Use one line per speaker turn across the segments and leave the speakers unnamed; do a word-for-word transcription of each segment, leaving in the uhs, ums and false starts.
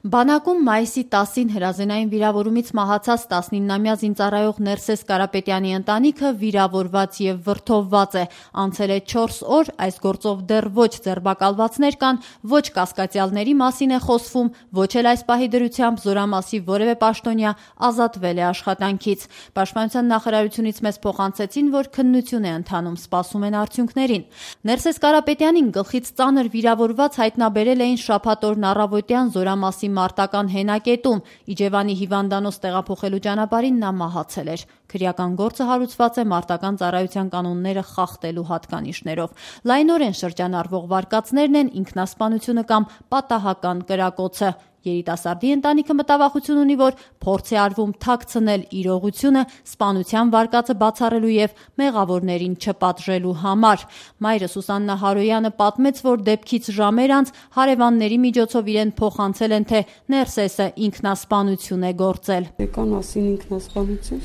Բանակում մայիսի տասին հրազենային վիրավորումից մահացած տասնիննամյա զինծառայող Ներսես Կարապետյանի ընտանիքը վիրավորված և վրդովված է։ Անցել է չորս օր, այս գործով դեռ ոչ ձերբակալվածներ կան, ոչ կասկածյալների մասին է խոսվում, ոչ էլ այս պահի դրությամբ Զորամասի որևէ պաշտոնյա ազատվել է աշխատանքից։ Պաշտպանության նախարարությունից մեզ փոխանցեցին, որ քննություն է ընթանում, սպասում են արդյունքներին։ Ներսես Կարապետյանին գլխից ծանր վիրավորված հայտնաբերել էին շաբաթ օրն առավոտյան Զորամասի մարտական հենակետում, Իջևանի հիվանդանոց տեղափոխելու ճանապարհին նա մահացել էր։ Քրեական գործը հարուցված է մարտական ծառայության կանոնները խախտելու հատկանիշներով։ Լայնորեն շրջանառվող վարկածներն են ինքնասպանությունը կամ պատահական կրակոցը։ Երիտասարդի ընտանիքը մտավախություն ունի, որ փորձ է արվում թաքցնել իրողությունը սպանության վարկածը բացառելու և մեղավորներին չպատժելու համար։ Մայրը Սուսաննա Հարոյանը պատմեց, որ դեպքից ժամեր անց հարևանների միջոցով իրեն փոխանցել են, թե Ներսեսը ինքնասպանություն է գործել։
Եկան ասին ինքնասպանություն,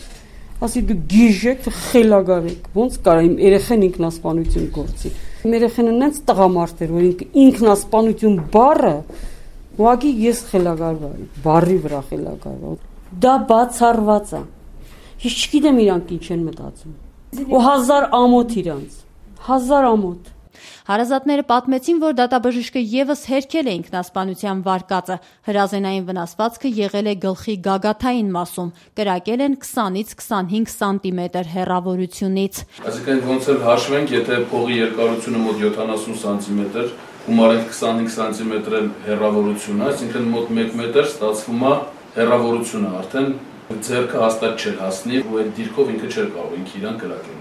ասի դու գիժ եք, խելագար եք, ոնց կարա իմ երեխեն ինքնասպանություն գործի։ Իմ երեխեն նենց տղամարդ էր, որ ինքնասպանություն բառը ուղղակի ես խելագար բառի վրա խելագար։ Դա բացառված է։ Ես չգիտեմ իրանք ինչ են մտածում։ Ու հազար ամոթ իրանց, հազար ամոթ։
Հարազատները պատմեցին, որ դատաբժիշկը ևս հերքել է ինքնասպանության վարկածը։ Հրազենային վնասվածքը եղել է գլխի գագաթային մասում, կրակել են քսանից քսանհինգ սանտիմետր հեռավորությունից։
Այսինքն ոնց էլ հաշվենք, եթե փողի երկարությունը մոտ յոթանասուն սանտիմետր, գումարենք քսանհինգ սանտիմետր հեռավորությունը, այսինքն մոտ մեկ մետր ստացվում է հեռավորությունը, արդեն ձեռքը հաստատ չէր հասնի, ու այդ դիրքով ինքը չէր կարող ինքը իրան կրակել։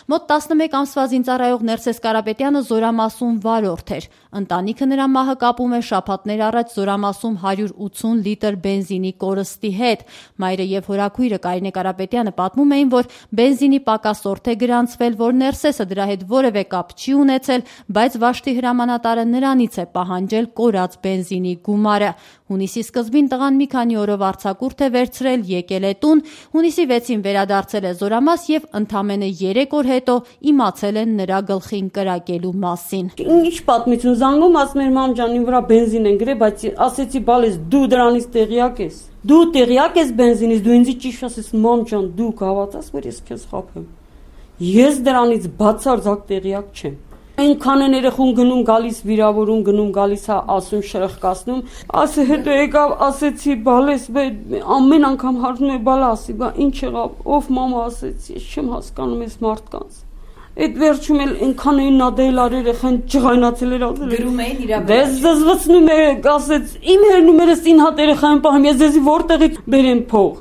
Մոտ տասնմեկ ամսվա զինծառայող Ներսես Կարապետյանը Զորամասում վարորդ էր։ Ընտանիքը նրա մահը կապում է շաբաթներ առաջ Զորամասում հարյուր ութսուն լիտր բենզինի կորստի հետ։ Մայրը և հորաքույրը Կարինե Կարապետյանը պատմում էին, որ բենզինի պակասորդ է գրանցվել, որ Ներսեսը դրա հետ որևէ կապ չի ունեցել, բայց Վաշտի հրամանատարը նրանից է պահանջել կորած բենզինի գումարը։ Հունիսի սկզբին տղան մի քանի օրով արձակուրդ է վերցրել, եկել է տուն, հունիսի վեցին վերադարձել է Զորամաս և ընդամենը երեք օր հետո իմացել են նրա գլխին կրակելու մասին։
Ինչ պատմություն զանգում, ասում էր մամ ջան, իմ վրա բենզին են գրել, բայց ասեցի բալես դու դրանից տեղյակ ես։ Դու տեղյակ ես բենզինից, դու ինձ ճիշտ ասես մամ ջան, դու կհավատաս, որ ես քեզ խաբեմ։ Ես դրանից բացարձակ տեղյակ չեմ։ Այնքան են երեխուն գնում գալիս վիրավորում, գնում գալիս է ասում շրխկացնում, ասե հետո եկավ ասեցի բալես, ամեն անգամ հարցնում է բալա ասի, բա ինչ եղավ, ով մամա ասեցի, ես չեմ հասկանում այս մարդկանց։ Այդ վերջում էլ այնքան էին նադել արել երեխան ջղայնացել էր ասել։
Գրում էին իրա վրա։
Դες զզվցնում է, ասեց, իմ հերնումերս ինհ հատ երեխային պահեմ, ես ձեզի որտեղից բերեմ փող։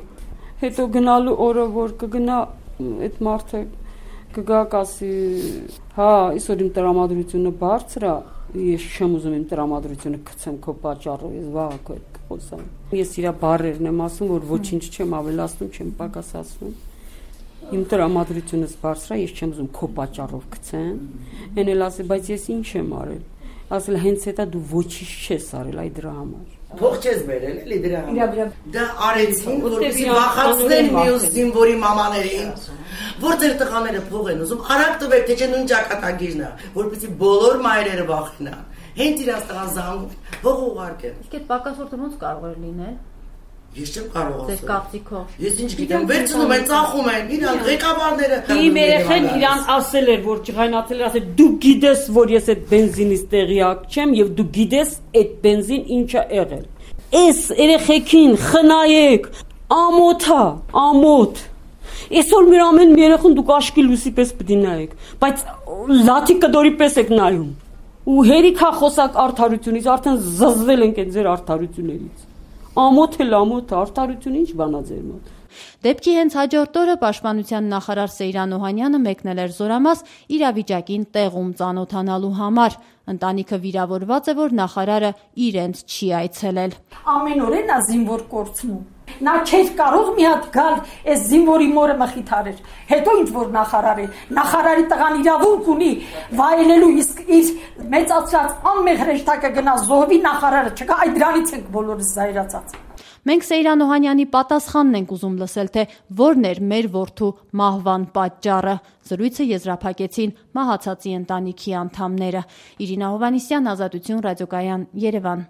Հետո գնալու օրը որ կգնա այդ մարդը կգա կասի, հա, այսօր իմ տրամադրությունը բարձր է, ես չեմ ուզում իմ տրամադրությունը գցեմ քո պատճառով, ես վաղ կխոսամ։ Ես իր բառերն եմ ասում, որ ոչինչ չեմ ավելացնում, չեմ պակասացնում։ Իմ տրամադրությունս բարձր է, ես չեմ ուզում քո պատճառով գցեմ։ Էն էլ ասի, բայց ես ինչ եմ արել։ Ասել հենց հետո դու ոչինչ չես արել այ դրա համար։
Փող չես բերել էլի դրա համար։ Դա արեցին, որպեսզի վախացնեն մյուս զինվորի մամաներին, որ ձեր տղաները փող են ուզում, արագ տվեք, թե չէ նույն ճակատագիրն է, որպեսզի բոլոր մայրերը վախենան։ Հենց իրանց տղան զանգում, փող ուղարկեն։
Իսկ այդ պակասորտը ոնց կարող էր լինել։
Ես չեմ կարող ասել։
Ձեր կապծիքով։
Ես ինչ գիտեմ, վերցնում են, ծախում են, իրանք ղեկավարները։
Իմ երեխեն իրան ասել էր, որ ջղայնացել էր, ասել դու գիտես, որ ես այդ բենզինից տեղյակ չեմ եւ դու գիտես այդ բենզին ինչ է եղել։ Էս երեխեքին խնայեք, ամոթա, ամոթ։ Այսօր մեր ամեն երեխուն դուք աշկի լուսի պես պիտի նայեք, բայց լաթի կդորի պես եք նայում։ Ու հերիքա խոսակ արդարությունից, արդեն զզվել ենք այդ ձեր արդարություններից։ Ամոթ էլ ամոթ, արդարություն ինչ բանա ձեր մոտ։
Դեպքի հենց հաջորդ օրը պաշտպանության նախարար Սեյրան Օհանյանը մեկնել էր Զորամաս իրավիճակին տեղում ծանոթանալու համար։ Ընտանիքը վիրավորված է, որ նախարարը իրենց չի այցելել։
Ամեն օր է նա զինվոր կորցնում։ Նա չէր կարող մի հատ գալ այս զինվորի մորը մխիթարեր։ Հետո ինչ որ նախարար է, նախարարի տղան իրավունք ունի վայելելու, իսկ իր մեծացած անմեղ հրեշտակը գնա զոհվի, նախարարը չկա, այդ դրանից ենք բոլորս զայրացած։
Մենք Սեյրան Օհանյանի պատասխանն ենք ուզում լսել, թե որն էր մեր որդու մահվան պատճառը։ Զրույցը եզրափակեցին մահացածի ընտանիքի անդամները։ Իրինա Հովհաննիսյան, Ազատություն, Ռադիոկայան, Երևան։